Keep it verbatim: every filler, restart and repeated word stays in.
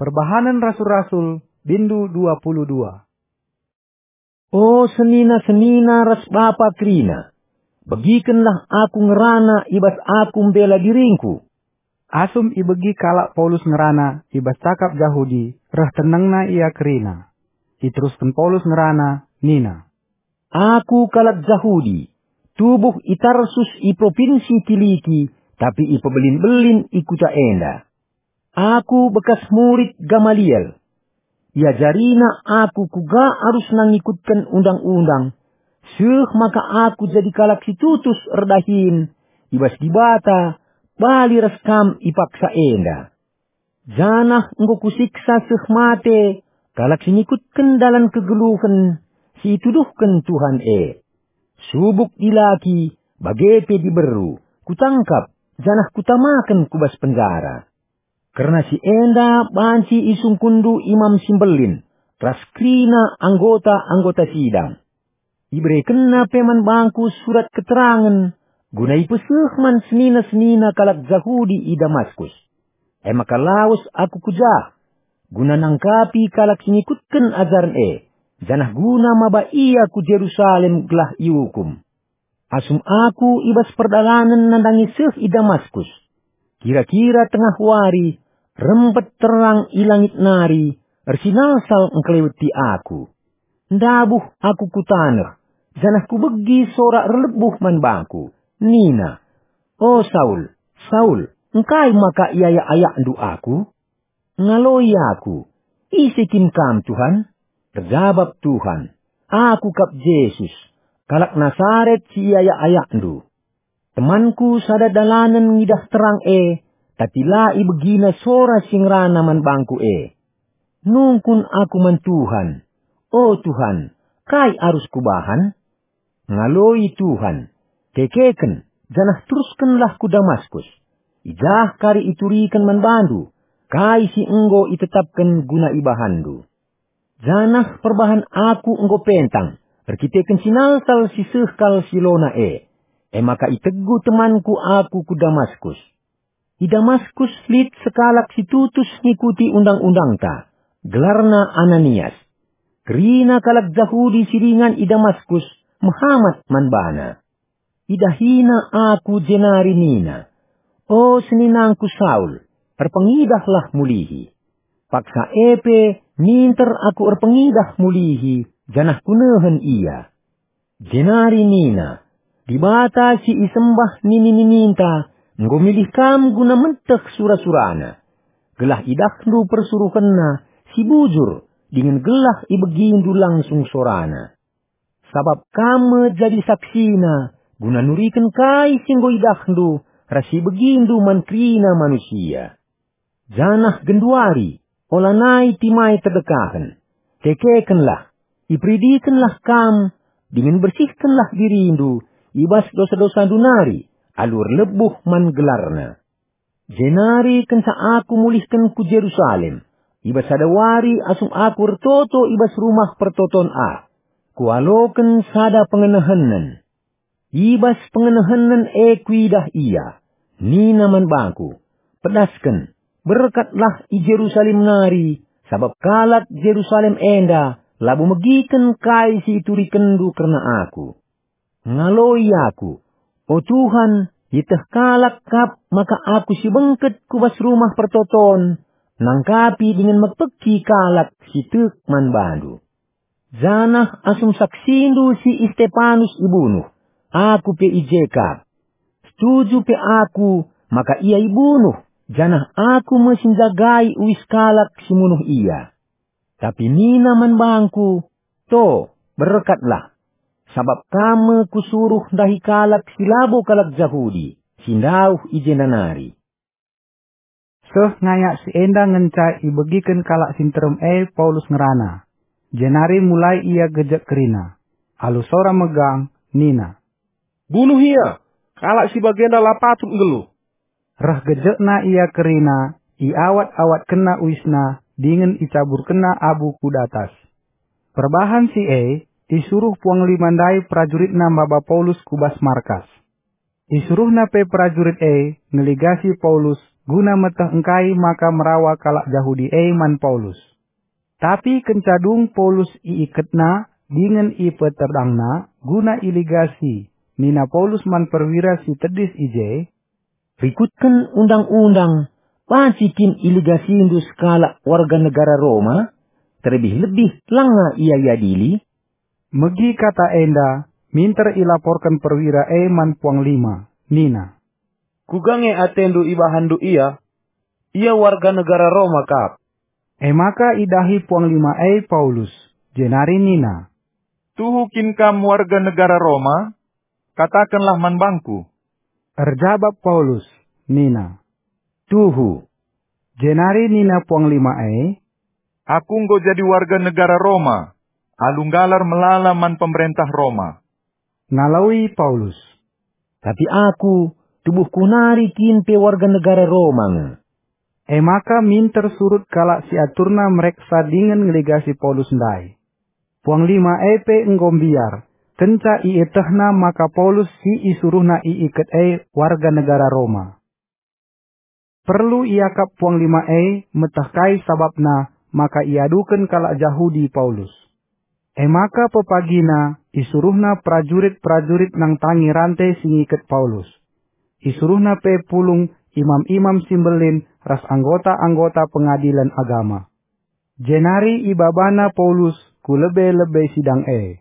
Perbahanen Rasul-Rasul, bindu dua puluh dua. O senina-senina ras bapa kerina, begikenlah aku ngerana i bas aku mbela diringku. Asum ibegi kalak Paulus ngerana i bas cakap Jahudi, reh tenengna ia kerina. Iterusken Paulus ngerana, nina, "Aku kalak Jahudi, tubuh i Tarsus i propinsi Kiliki, tapi ipebelin-belin i kuta enda. Aku bekas murid Gamaliel. Iajarina aku kuga arusna ngikutken Undang-undang, seh maka aku jadi kalak si tutus erdahin i bas Dibata, bali ras kam i paksa enda. Janah enggo kusiksa seh mate kalak si ngikutken dalan kegeluhen si ituduhken Tuhan e. Subuk dilaki, bage pe diberu, kutangkap, janah kutamaken ku bas penjara. Kerna si enda banci isungkunndu Imam si Mbelin ras kerina anggota-anggota sidang. Iberekenna pe man bangku surat keterangen, guna ipeseh man senina-senina kalak Jahudi i Damaskus. E maka lawes aku ku jah, guna nangkapi kalak si ngikutken ajaren e, janah guna maba ia ku Jerusalem gelah iukum. Asum aku i bas perdalanen nandangi seh i Damaskus, kira-kira tengah wari, rempet terang i langit nari, ersinalsal engkeleweti aku. Ndabuh aku ku taneh, janah kubegi sora erlebuh man bangku, nina, 'O Saul, Saul, engkai maka iayak-ayakndu aku?' Ngaloi aku, 'Ise kin Kam, Tuhan?' Erjabap Tuhan, 'Aku kap Jesus, kalak Nasaret si iayak-ayakndu.' Temanku sada dalanen ngidah terang e, tapi la ibegina sora si ngerana man bangku e. Nungkun aku man Tuhan, 'O Tuhan, kai arus kubahan?' Ngaloi Tuhan, 'Kekeken, janah teruskenlah ku Damaskus. I jah kari ituriken man bandu kai si enggo itetapken guna ibahanndu.' Janah perbahan aku enggo pentang erkiteken sinalsal si seh kal si lona e, e maka itegu temanku aku ku Damaskus. I Damaskus lit sekalak si tutus ngikuti Undang-undangta, gelarna Ananias. Kerina kalak Jahudi si ringan i Damaskus mehamat man bana. Idahina aku jenari nina, 'O seninangku Saul, erpengidahlah mulihi.' Paksa e pe minter aku erpengidah mulihi, janah kunehen ia. Jenari nina, 'Dibata si isembah nini-nininta enggo milih kam guna meteh sura-surana, gelah idahndu persuruhenna si bujur dingen gelah ibegindu langsung sorana. Sabap kam me jadi saksina guna nuriken kai si enggo idahndu ras si ibegindu man kerina manusia. Janah genduari, olanai timai terdekahen. Kekekenlah, iperidikenlah kam, dingen bersihkenlah dirindu i bas dosa-dosandu nari, alu erlebuh man gelarna. Jenari kenca aku mulihken ku Jerusalem, i bas sada wari asum aku ertoto i bas rumah pertoton ah, kualoken sada pengenehenen. I bas pengenehenen e kuidah ia, nina man bangku, 'Pedasken, berkatlah i Jerusalem nari, sabap kalak Jerusalem enda labo megiken kai si iturikenndu kerna aku.' Ngaloi aku, 'O Tuhan, ieteh kalak kap maka aku si bengket ku bas rumah pertoton, nangkapi dingen mekpeki kalak si tek man bandu. Janah asum saksindu si Istepanus ibunuh, aku pe i je kap. Setuju pe aku maka ia ibunuh, janah aku me si njagai uis kalak si munuh ia. Tapi nina man bangku, 'To, berkatlah, sabap kam me kusuruh ndahi kalak si labo kalak Jahudi, si ndauh i jenda nari.' Seh ngayak si enda ngenca ibegiken kalak si nterem e Paulus ngerana, jenari mulai ia gejek kerina. Alu sora megang, nina, "Bunuh ia! Kalak si bagenda la patut nggeluh!" Reh gejekna ia kerina, iawat-awatkenna uisna, dingen icaburkenna abu ku datas. Perbahan si e, isuruh puanglima ndai perajuritna maba Paulus ku bas markas. Isuruhna pe perajurit e ngeligasi Paulus guna meteh engkai maka merawa kalak Jahudi e man Paulus. Tapi kenca dung Paulus iiketna dingen ipeterdangna guna iligasi, nina Paulus man perwira si tedis i je, "Rikutken undang-undang, banci kin iligasindu sekalak warga negara Roma? Terlebih-lebih langa ia iadili." Megi kata enda, minter ilaporken perwira e man puanglima, nina, "Kuga nge atendu ibahanndu ia? Ia warga negara Roma kap." E maka idahi puanglima e Paulus, jenari nina, "Tuhu kin kam warga negara Roma? Katakenlah man bangku." Erjabap Paulus, nina, "Tuhu." Jenari nina puanglima e, "Aku enggo jadi warga negara Roma, alu nggalar melala man pemerentah Roma." Ngaloi Paulus, "Tapi aku, tubuhku nari kin pe warga negara Roma nge." E maka minter surut kalak si aturna mereksa dingen ngeligasi Paulus ndai. Puanglima e pe enggo mbiar, kenca ietehna maka Paulus si isuruhna iiket e warga negara Roma. Perlu iakap puanglima e meteh kai sabapna maka iaduken kalak Jahudi Paulus. E maka pepagina isuruhna perajurit-perajurit nangtangi rante si ngiket Paulus. Isuruhna pe pulung imam-imam si mbelin ras anggota-anggota pengadilen agama. Jenari ibabana Paulus ku lebe-lebe sidang e.